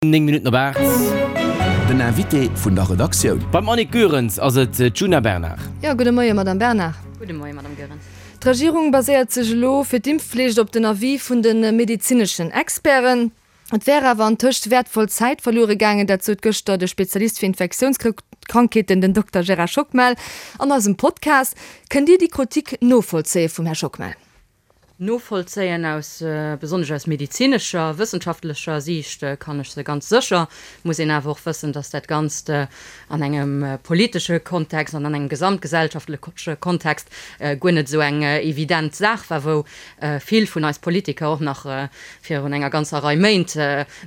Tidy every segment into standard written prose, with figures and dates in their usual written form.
9 Minutten op 8. Den Invité vun der Redaktioun. Beim Annick Goerens ass et d'Djuna Bernard. Jo, gudde Moie Madame Bernard. Gudde Moie Madame Goerens. D'Regierung baséiert sech elo fir d'Impfflicht op den Avis vun de medezineschen Experten. Et wär awer antëscht wäertvoll Zäit verluere gaangen, dat sot gëschter de Spezialist fir Infektiounskrankheeten, den Dokter Gérard Schockmel, an eisem Podcast. Kënnt Dir déi Krotik novollzéie vum Här Schockmel? Novollzéien. Aus, besonnesch aus medezinescher, wëssenschaftlecher Siicht kann ech se ganz sécher. Muss een awer och wëssen, dass dat Ganzt an engem politesche Kontext an an engem gesamtgesellschaftleche Kontext guer net esou eng evident Saach war, wou vill vun eis Politiker och nach virun enger ganzer Rei Méint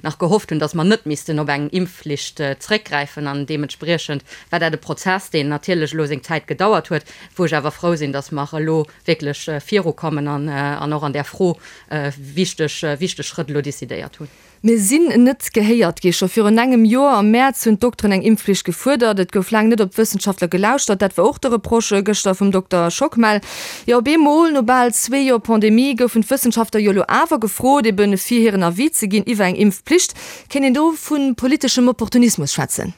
nach gehofft hunn, dass mer net missten op eng Impfflicht zréckgräifen. An deementspriechend war dat e Prozess, deen natierlech elo seng Zäit gedauert huet, wou ech awer frou sinn, dass mer elo wierklech virukommen an och an där Fro wichteg, wichteg Schrëtt elo decidéiert hunn. Mir sinn net gehéiert gi. Scho virun engem Joer am Mäerz hunn d'Dokteren eng Impfflicht gefuerdert. Et gouf laang net op d'Wëssenschaftler gelauschtert. Dat war och de Reproche gëschter vum Dokter Schockmel. Jo, op eemol, no bal zwee Joer Pandemie, goufen d'Wëssenschaftler jo elo awer gefrot, ebe fir hiren Avis ze ginn iwwer eng Impfpflicht. Kéint een do vu politeschem Opportunismus schwätzen?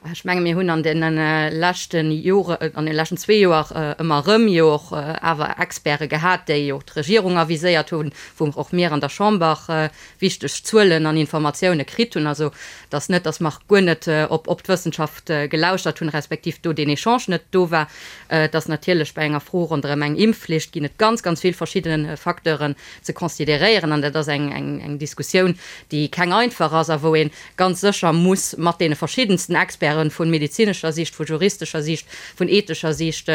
Ech menge mir hunn an deene leschte Jore, an deene leschten zwee Joer ëmmer erëm jo och awer Experte gehat, déi och d'Regierung aviséiert hunn, wou och mir an der Chamber wichteg Zuelen an Informatioune kritt hunn. Also et ass net, datt mer guer net op op d'Wëssenschaft gelauschtert hunn, respektiv do deen Echange net do war. Et ass natierlech bei enger Fro ronderëm eng Impfflicht ginn et ganz, ganz vill verschidde Facteuren ze consideréieren an dat ass eng eng Diskussioun, déi keng einfach ass a wou ee ganz sécher muss mat deene verschiddensten Experten, vu medezinescher Siicht, vu juristescher Siicht, vun ethescher Siicht,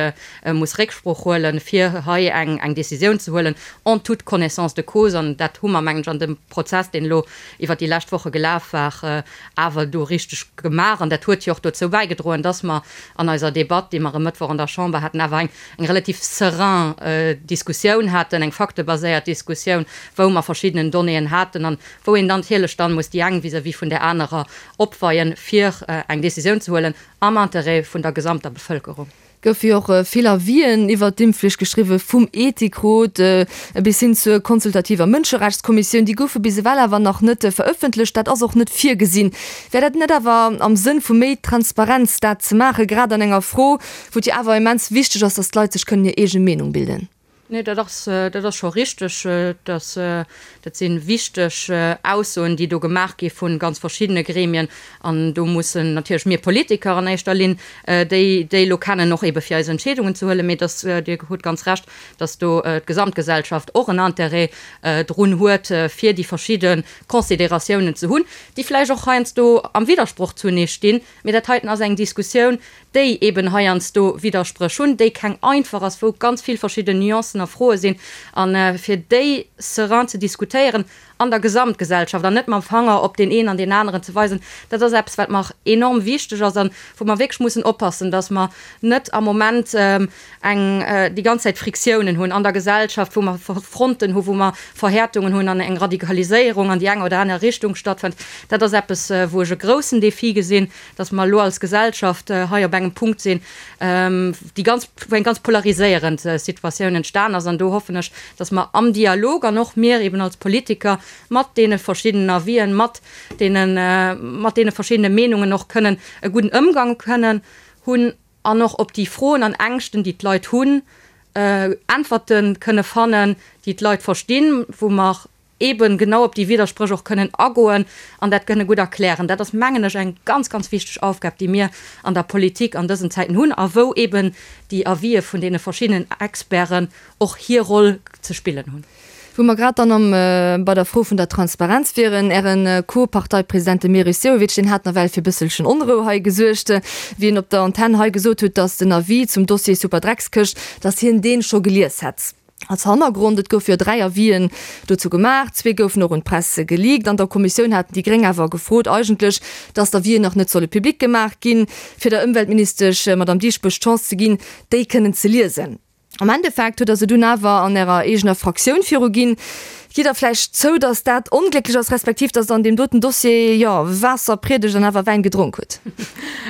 muss Récksprooch huelen, fir hei eng eng Décisioun ze huelen, en toute connaissance de cause. An dat hu mer, mengen ech, an dem Prozess, deen elo iwwert déi lescht Woche gelaf war, awer do richteg gemaach. An dat huet jo och dozou bäigedroen, dass mer an eiser Debatt, déi mer e Mëttwoch an der Chamber haten, awer eng eng relativ serein Diskussioun haten, eng faktebaséiert Diskussioun, wou mer verschiddenen Donnéeën haten an wou een dann natierlech dann muss déi eng vis-à-vis vun där anerer opweien, fir eng Décisioun ze huelen am Intérêt vun der gesamter Bevölkerung. Goufe jo och vill Avisen iwwert d'Impfflicht geschriwwen, vum Ethikrot bis hin zur consultativer Mënscherechtskommissioun. Déi goufe bis ewell awer nach net verëffentlecht. Dat ass och net virgesinn. Wär dat net awer am Sënn vu méi Transparenz, dat ze maachen, grad an enger Fro, wou et jo awer immens wichteg ass, datt d'Leit sech kënnen hir eege Meenung bilden? Nee, dat ass, dat ass scho richteg. Dass, dat si wichteg Aussoen, déi do gemaach gi vu ganz verschiddene Gremien. An do mussen natierlech mir Politiker an éischter Linn déi, déi elo kennen, och eebe fir eis Entscheedungen ze huelen. Mee dass, Dir hutt ganz Recht, dass do d'Gesamtgesellschaft och en Intérêt drun huet, fir déi verschidde Considératiounen ze hunn, déi vläicht och heiansdo am Widdersproch zunee stinn. Mee dat heiten ass eng Diskussioun, déi eben heiansdo Widderspréch hunn, déi keng einfach ass, wou ganz vill verschidden Nuancen a Froe sinn, a fir déi serein ze diskutéieren an der Gesamtgesellschaft an net mam Fanger op deen een an deen aneren ze weisen, dat ass eppes, wat mer enorm wichteg ass a wou mer wierklech mussen oppassen, dass mer net am Moment eng déi ganz Zäit Friktiounen hunn an der Gesellschaft, wou mer Fronten hu wou mer Verhäertungen hunn an eng Radikaliséierung an déi eng oder aner Richtung stattfënnt. Dat ass eppes, wou ech e groussen Défi gesinn, dass mer elo als Gesellschaft hei op engem Punkt sinn, déi ganz, wou eng ganz polariséierend Situatioun entstan ass. An do hoffen ech, dass mer am Dialog an och mir eben als Politiker mat deene verschiddenen Avisen, mat deene, mat deene verschiddene Meenungen och kënnen e gudden Ëmgang kënnen hunn an och op déi Froen an Ängschten, déi d'Leit hunn, Äntwerte kënne fannen, déi d'Leit verstinn, wou mer eeben genau op déi Widderspréch och kënnen agoen an dat kënne gutt erklären. Dat ass, mengen ech, eng ganz, ganz wichteg Aufgab, déi mir an der Politik an dësen Zäiten hunn a wou eeben déi Avisë vun deene verschiddenen Experten och hir Roll ze spillen hunn. Wou mer grad dann am bei der Fro vun der Transparenz wieren, Äre Co-Parteipresident, de Meris Sehovic, deen hat nawell fir e bësselchen Onrou hei gesuergt, wéi en op der Antenn hei gesot huet, datt den Avis zum Dossier Superdreckskëscht, datt hien dee scho gelies hätt. Als Hannergrond, et goufe jo 3 Avisen dozou gemaach, zwee goufen och un d'Press geleakt. An der Kommissioun haten déi Gréng awer gefrot eigentlech, datt d'Avisen nach net solle public gemaach ginn, fir der Ëmweltministesch Madamm Dieschbourg d'Chance ze ginn, déi kënnen ze liesen. Am Endeffekt hutt Der se dunn awer an Ärer eegener Fraktioun viruginn. Gitt Der vläicht zou, datt dat onglécklech ass, respektiv datt Der an deem doten Dossier, jo, Waasser priedegt an awer Wäin gedronk hutt?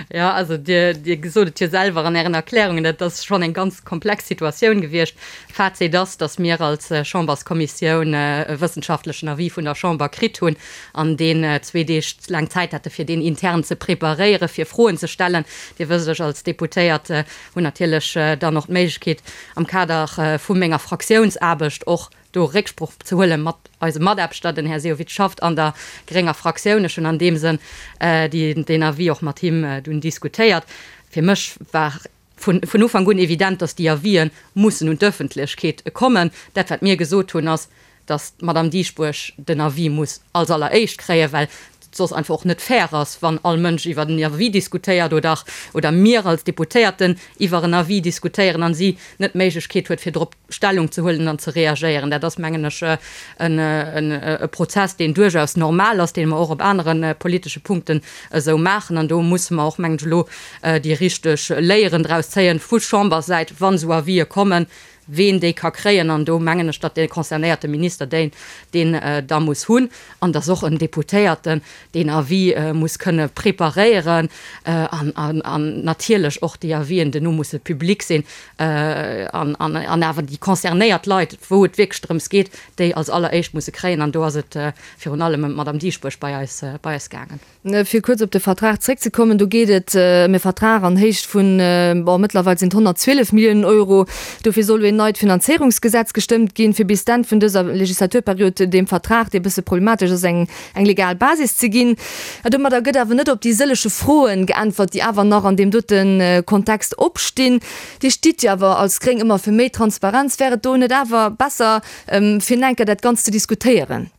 Jo, also Dir, Dir gesot et jo selwer an Ären Erklärungen, dat ass schonn eng ganz komplex Situatioun gewiescht. Fazit ass, datt mir als Chamberskommissioun e wëssenschaftlechen Avis vun der Chamber kritt hunn an deen zwee Deeg laang Zäit hate fir deen intern ze preparéieren, fir Froen ze stellen. Dir wësst, ech als Deputéiert hunn natierlech dann och d'Méiglechkeet am Kader vu menger Fraktiounsaarbecht och do Récksproch ze huele mat eisem Mataarbechter, den Här Sehovic schafft an der grénger Fraktioun. Ech hunn an deem Sënn deen Avis och mat him dunn diskutéiert. Fir mech war vun Ufank un evident, datt déi Avisen mussen un d'Ëffentlechkeet kommen. Dat wat mir gesot hunn, ass, datt d'Madame Dieschbourg den Avis muss als alleréischt kréien, well et soss einfach och net fair ass, wann all Mënsch iwwer en Avis diskutéiert oder oder mir als Deputéierten iwwer en Avis diskutéieren an si net d'Méiglechkeet huet, fir drop Stellung ze huelen an ze reagéieren. Dat ass, mengen ech, e Prozess, deen duerchaus normal ass, dee mer och op anere politesche Punkten esou maachen. An do musse mer och, mengen ech, elo déi richteg Léieren draus zéien vu Chambersäit, wann esou Avisë kommen, ween déi ka kréien, an do mengen ech, datt dee concernéierte Minister deen deen da muss hunn, an datt och en Deputéierten deen Avis muss kënne preparéieren an an natierlech och déi Avisen duerno musse public sinn an an awer déi concernéiert Leit, wou et wierklech drëms geet, déi als alleréischt musse kréien. An do ass et virun allem ëm d'Madame Dieschbourg bei eis bei eis gaangen. Fir kuerz op de Vertrag zréckzekommen, do geet et ëm e Vertrag an Héicht vun, bon, mëttlerweil sinn et 112 Milliounen Euro. Dofir soll elo een neit Finanzéierungsgesetz gestëmmt ginn, fir bis d'Enn vun dëser Legislaturperiod deem Vertrag, dee bësse problematesch ass, eng eng legal Basis ze ginn. Domadder gëtt awer net op déi sëllege Froen geäntwert, déi awer nach an deem dote Kontext opstinn. Dir stitt jo awer als Gréng ëmmer fir méi Transparenz. Wär et do net awer besser, fir enker dat Ganzt ze diskutéieren?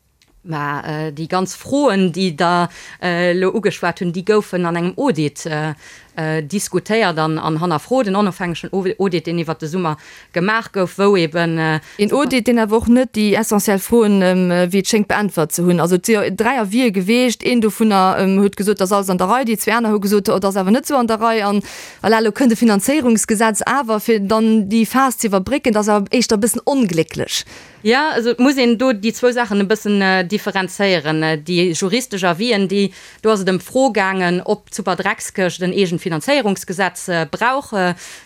Mä déi ganz Froen, déi Der elo ugeschwat hunn, déi goufen an engem Audit diskutéiert an hannerfrot, en onofhängegen Audit, deen iwwert de Summer gemaach gouf, wou eben. Een Audit, deen awer och net déi essentiell Froen, wéi et schéngt, beäntwert ze hunn. Also et si jo 3 Avisë geweecht. Een dovunner huet gesot, et ass alles an der Rei. Déi zwee aner hu gesot, et ass awer net esou an der Rei. An voilà, elo kënnt e Finanzéierungsgesetz awer, fir dann déi Phas ze iwwerbrécken. Dat ass awer éischter e bëssen onglécklech. Jo, also et muss een do déi zwou Saachen e bëssen differenzéieren. Déi juristesch Avisen, déi, do ass et ëm d'Fro gaangen, ob d'Superdreckskëscht en eegent Finanzéierungsgesetz brauch,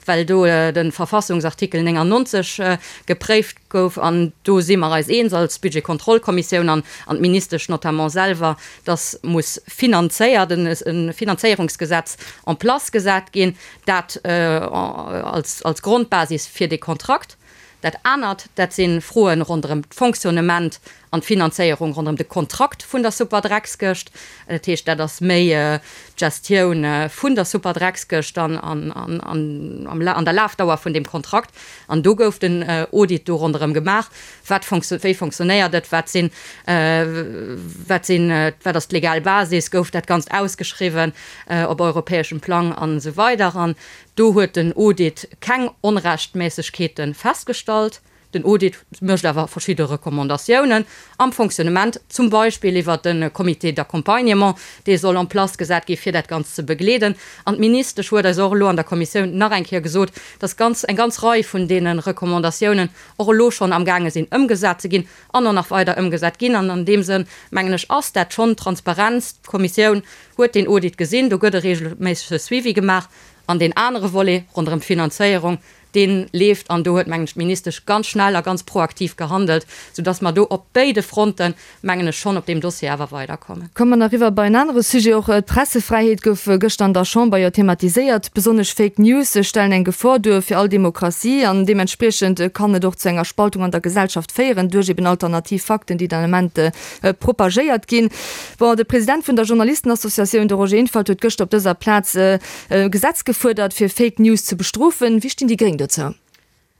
well do de Verfassungsartikel 99 gepréift gouf. An do si mer eis eens als Budgetkontrollkommissioun an d'Ministesch notamment selwer, dass muss finanzéiert, e Finanzéierungsgesetz en place gesat ginn, dat als Grondbasis fir dee Kontrakt. Dat anert, dat si Froe ronderëm d'Fonctionnement an d'Finanzéierung ronderëm de Kontrakt vun der Superdreckskëscht. Dat heescht, dat ass méi d'Gestioun vun der Superdreckskëscht an an der Lafdauer vun deem Kontrakt. An do gouf den Audit do ronderëm gemaach, wat wéi fonctionnéiert et, wat sinn, wat sinn, wat ass d'legal Basis, gouf dat Ganzt ausgeschriwwen op europäeschem Plang an esou weider. An Do huet den Audit keng Onrechtméissegkeete festgestallt. Den Audit mécht awer verschidde Recommandatiounen am Fonctionnement, zum Beispill iwwert de Comité d'accompagnement, dee soll en place gesat gi fir dat Ganzt ze begleeden. An d'Ministesch huet eis och elo an der Kommissioun nach eng Kéier gesot, dass ganz eng ganz Rei vun deene Recommandatiounen och elo schonn amgaange sinn ëmgesat ze ginn an och nach weider ëmgesat ginn. An an deem Sënn, mengen ech, ass dat schonn Transparenz. D'Kommissioun huet deen Audit gesinn, do gëtt e regelméissege Suivi gemaach. An deen anere Volet ronderëm d'Finanzéierung, dee leeft. An do huet, mengen ech, d'Ministesch ganz schnell a ganz proaktiv gehandelt, soudass mer do op béide Fronten, mengen ech, schonn op deem Dossier awer weiderkommen. Komme mer nach eriwwer bei en anere Sujet. Och d'Pressefräiheet gouf gëschter an der Chamber jo thematiséiert. Besonnesch Fake News stellen eng Gefor duer fir all Demokratie an deementspriechend kann et och zu enger Spaltung an der Gesellschaft féieren duerch eben alternativ Fakten, déi den Ament propagéiert ginn. Bon, de President vun der Journalistenassociatioun, de Roger Infalt, huet gëschter op dëser Plaz e Gesetz gefuerdert, fir Fake News ze bestrofen. Wéi stinn déi Gréng dozou?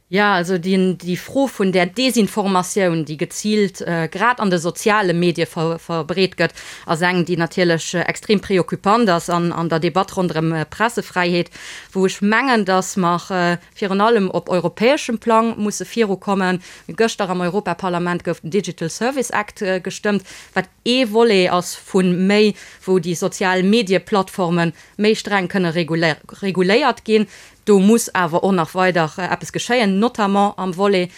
Jo, also déi Fro vun där Desinformatioun, déi geziilt grad an de soziale Medie verbreet gëtt, ass eng, déi natierlech extrem preoccupant ass an der Debatt ronderëm Pressefräiheet, wou ech mengen, datt mer virun allem op europäeschem Plang musse virukommen. Gëschter am Europaparlament gouf den Digital Service Act gestëmmt, wat ee Volet ass vu méi, wou déi sozial Medieplattforme méi streng kënne reguléiert ginn. Do muss awer och nach weider eppes geschéien, notamment am Volet,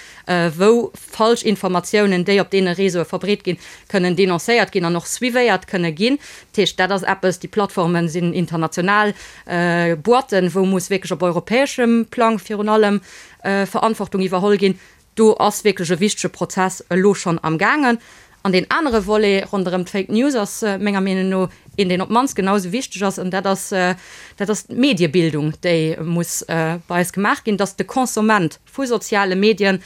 wou falsch Informatiounen, déi op deene Réseaue verbreet ginn, kënnen denoncéiert ginn an och suivéiert kënne ginn. Dat heescht, dat ass eppes, déi Plattforme sinn international Boîten, wou muss wierklech op europäeschem Plang virun allem Verantwortung iwwerholl ginn. Do ass wierklech e wichtege Prozess elo schonn amgaangen. An deen anere Volet ronderëm d'Fake News ass menger Meenung no een, deen op d'mannst genau esou wichteg ass, an dat ass, dat ass d'Mediebildung, déi muss bei eis gemaach ginn, dass de Konsument vu soziale Medien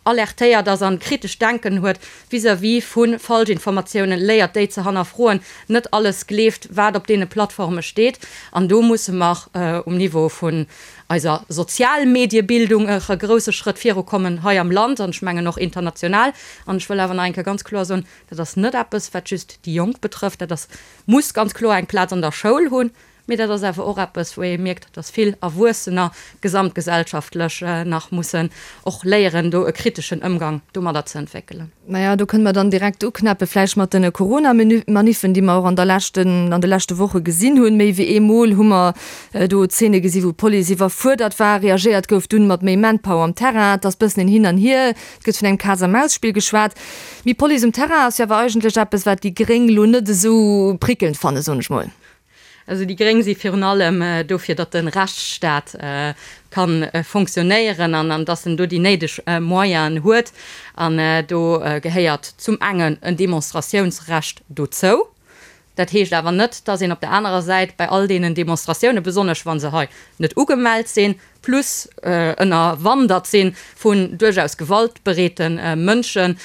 alertéiert ass an kritescht Denken huet vis-à-vis vu Falschinformatiounen, léiert déi ze hannerfroen, net alles gleeft, wat op deene Plattforme steet. An do musse mer um Niveau vun eiser Sozialmediebildung e grousse Schrëtt virukommen hei am Land an ech mengen och international. An ech wëll awer nach eng Kéier ganz kloer soen, dat ass net eppes, wat just déi Jonk betrëfft, dat ass, muss ganz kloer eng Plaz an der Schoul hunn, mee dat ass awer och eppes, wou ee mierkt, dass vill Erwuessener gesamtgesellschaftlech nach mussen och léieren, do e kriteschen Ëmgang domadder ze entwéckelen. Maja, do kënne mer dann direkt uknäppe vläicht mat de Corona-Maniffen, déi mer och an der leschten, an de leschte Woche gesinn hunn. Méi wéi eemol hu mer do Zeene gesi wou d'Police iwwerfuerdert war. Reagéiert gouf dunn mat méi Manpower am Terrain. Et ass bëssen en Hin an Hier. Et gëtt vun engem Kaz-a-Maus-Spill geschwat. Méi Police um Terrain ass jo awer eigentlech eppes, wat déi Gréng lo net esou prickelnd fannen, soen ech mol. Also déi Gréng si virun allem dofir, datt de Rechtsstaat ka fonctionnéieren an datt en do déi néideg Moyenen huet. An do gehéiert zum engen en Demonstratiounsrecht dozou. Dat heescht awer net, datt een op der anerer Säit bei all deenen Demonstratiounen, besonnesch wa se hei net ugemellt sinn, plus ënnerwandert si vun duerchaus gewaltbereete Mënschen,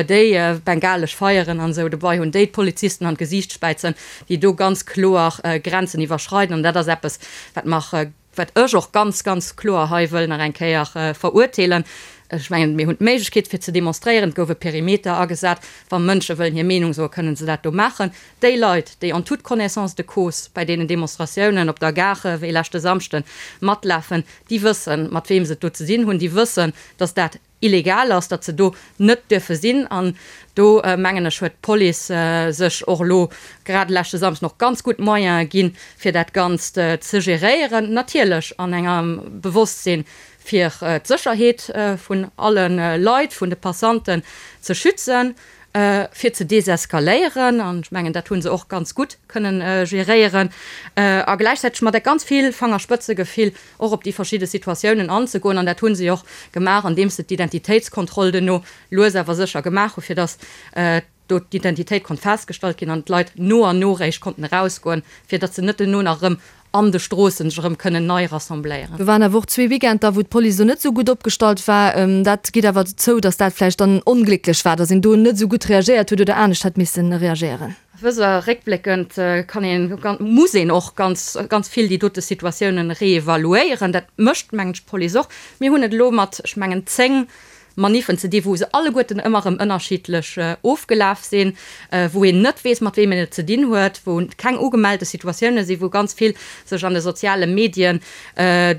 déi bengalesch Feieren an esou dobei hunn, déi d'Polizisten an d'Gesiicht späizen, déi do ganz kloer Grenzen iwwerschreiden. An dat ass eppes, wat mer, wat ech och ganz, ganz kloer hei wëll nach eng Kéier verurteelen. Ech mengen, mir hunn d'Méiglechkeet, fir ze demonstréieren. Et gouf e Perimeter agesat. Wa Mënsche wëllen hir Meenung soen, kënnen se dat do maachen. Déi Leit, déi en toute connaissance de cause bei deenen Demonstratiounen op der Gare wéi leschte Samschden matlafen, déi wëssen, mat weem se et do ze dinn hunn. Déi wëssen, datt dat illegal ass, datt se do net duerfe sinn. An do, mengen ech, huet d'Police sech och elo grad leschte Samschden och ganz gutt Moyene ginn, fir dat Ganzt ze geréieren. Natierlech an engem Bewosstsinn, fir d'Sécherheet vun alle Leit, vun de Passanten ze schützen. fir ze deseskaléieren, an ech mengen, dat hu se och ganz gutt kënnen geréieren, a gläichzäiteg mat ganz vill Fangerspëtzegefill och op déi verschidde Situatiounen anzegoen. An dat hu se och gemaach, andeems se d'Identitéitskontroll duerno lues awer sécher gemaach hu fir datt do d'Identitéit konnt festgestallt ginn an d'Leit no an no réischt konnten erausgoen, fir datt se net duerno nach erëm an de Stroossen sech erëm kënnen nei rassembléieren. Do waren awer och zwee Weekender, wou d'Police do net esou gutt opgestallt war. Dat gitt awer zou, datt dat vläicht dann onglécklech war, datt een do net esou gutt reagéiert huet oder anescht hätt misse reagéieren. Wësst Der, réckbléckend kann een, muss een och ganz, ganz vill déi dote Situatiounen reevaluéieren. Dat mécht, mengen ech, d'Police och. Mir hunn et elo mat, ech mengen, 10 Maniffen ze di wou se alleguerten ëmmer erëm ënnerschiddlech ofgelaf sinn, wou een net weess mat weem een et ze dinn huet, wou keng ugemellte Situatioune sinn, wou ganz vill sech an de soziale Medien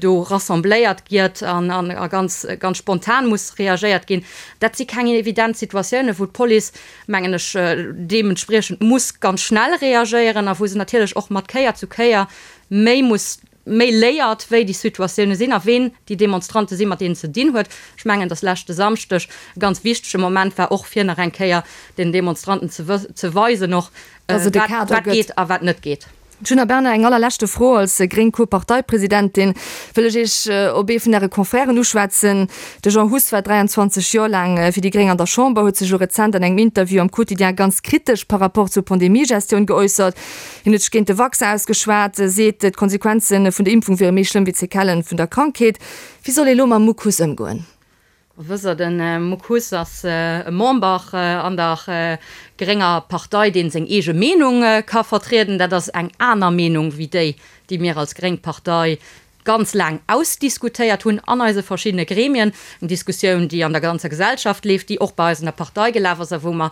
do rassembléiert giet an a ganz ganz spontan muss reagéiert ginn. Dat si keng evident Situatiounen, wou d'Police, mengen ech, deementspriechend muss ganz schnell reagéieren a wou se natierlech och mat Kéier zu Kéier méi muss méi léiert, wéi déi Situatioune sinn a ween déi Demonstrante sinn, mat deenen ze dinn huet. Ech mengen, datt leschte Samschdeg e ganz wichtege Moment war, och fir nach eng Kéier den Demonstranten ze weisen och, wat geet a wat net geet. Djuna Bernard, eng allerleschte Fro, Als gréng Co-Parteipresidentin wëll ech Iech op ee vun Äre Confrèren uschwätzen. De Jean Huss war 23 Joer laang fir déi gréng an der Chamber, huet sech elo rezent an engem Interview am Quotidien ganz kritesch par rapport zur Pandemiegestioun geäussert. Hien huet sech géint de Vaccin ausgeschwat, seet, d'Konsequenze vun der Impfung wiere méi schlëmm wéi d'Sequellen vun der Krankheet. Wéi soll ee lo mam Muck Huss ëmgoen? Wësst Der, de Muck Huss ass e Member an der grénger Partei, dee seng eege Meenung ka vertrieden. Dat ass eng aner Meenung wéi déi, déi mir als gréng Partei ganz laang ausdiskutéiert hunn an eise verschiddene Gremien, eng Diskussioun, déi an der ganzer Gesellschaft leeft, déi och bei eis an der Partei gelaf ass a wou mer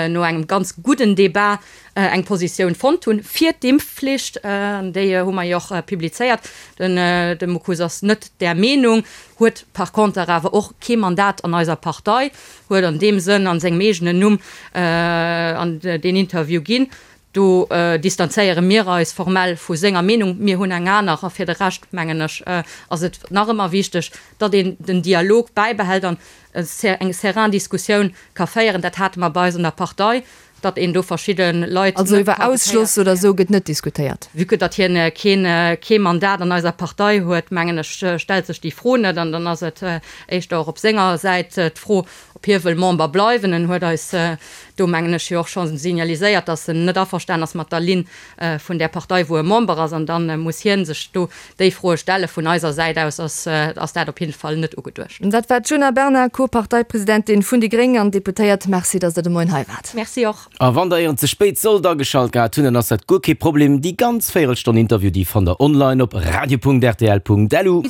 no engem ganz gudden Débat eng Positioun fonnt hunn fir d'Impfflicht. An déi hu mer jo och publizéiert. Den de Mucus ass net där Meenung, huet par conter awer och kee Mandat an eiser Partei, huet an deem Sënn an sengem eegenen Numm an deen Interview ginn. Do distanzéiere mir eis formell vu senger Meenung. Mir hunn eng aner. A fir de Rescht, mengen ech, ass et nach ëmmer wichteg, datt een den Dialog bäibehält an eng serein Diskussioun ka féieren. Dat hate mer bei eis an der Partei, datt een do verschidde Leit Also net iwwer ka Ausschloss gehéiert oder kréien. esou gëtt net diskutéiert? Vue que datt hien keen, kee Mandat an eiser Partei huet, mengen ech, stellt sech déi Fro net. An dann ass et éischter och op senger Säit d'Fro, Ob hie wëll Member bleiwen, en huet eis do, mengen ech, jo och scho signaliséiert, datt en net averstan ass mat der Linn vun där Partei, wou e Member ass. An da muss hie sech do déi Froe stellen. Vun eiser Säit aus ass dat op jidde Fall net ugeduecht. Dat war d'Djuna Bernard, Co-Parteipresidentin vun déi Gréng an Deputéiert. Merci, datt Der de Moien hei waart. Merci och. A wann der ieren ze spéit sollt ageschalt gehat hunn, dann ass dat guer kee Problem. Déi ganz Véierelstonn Interview, déi fannt der online op radio.rtl.lu.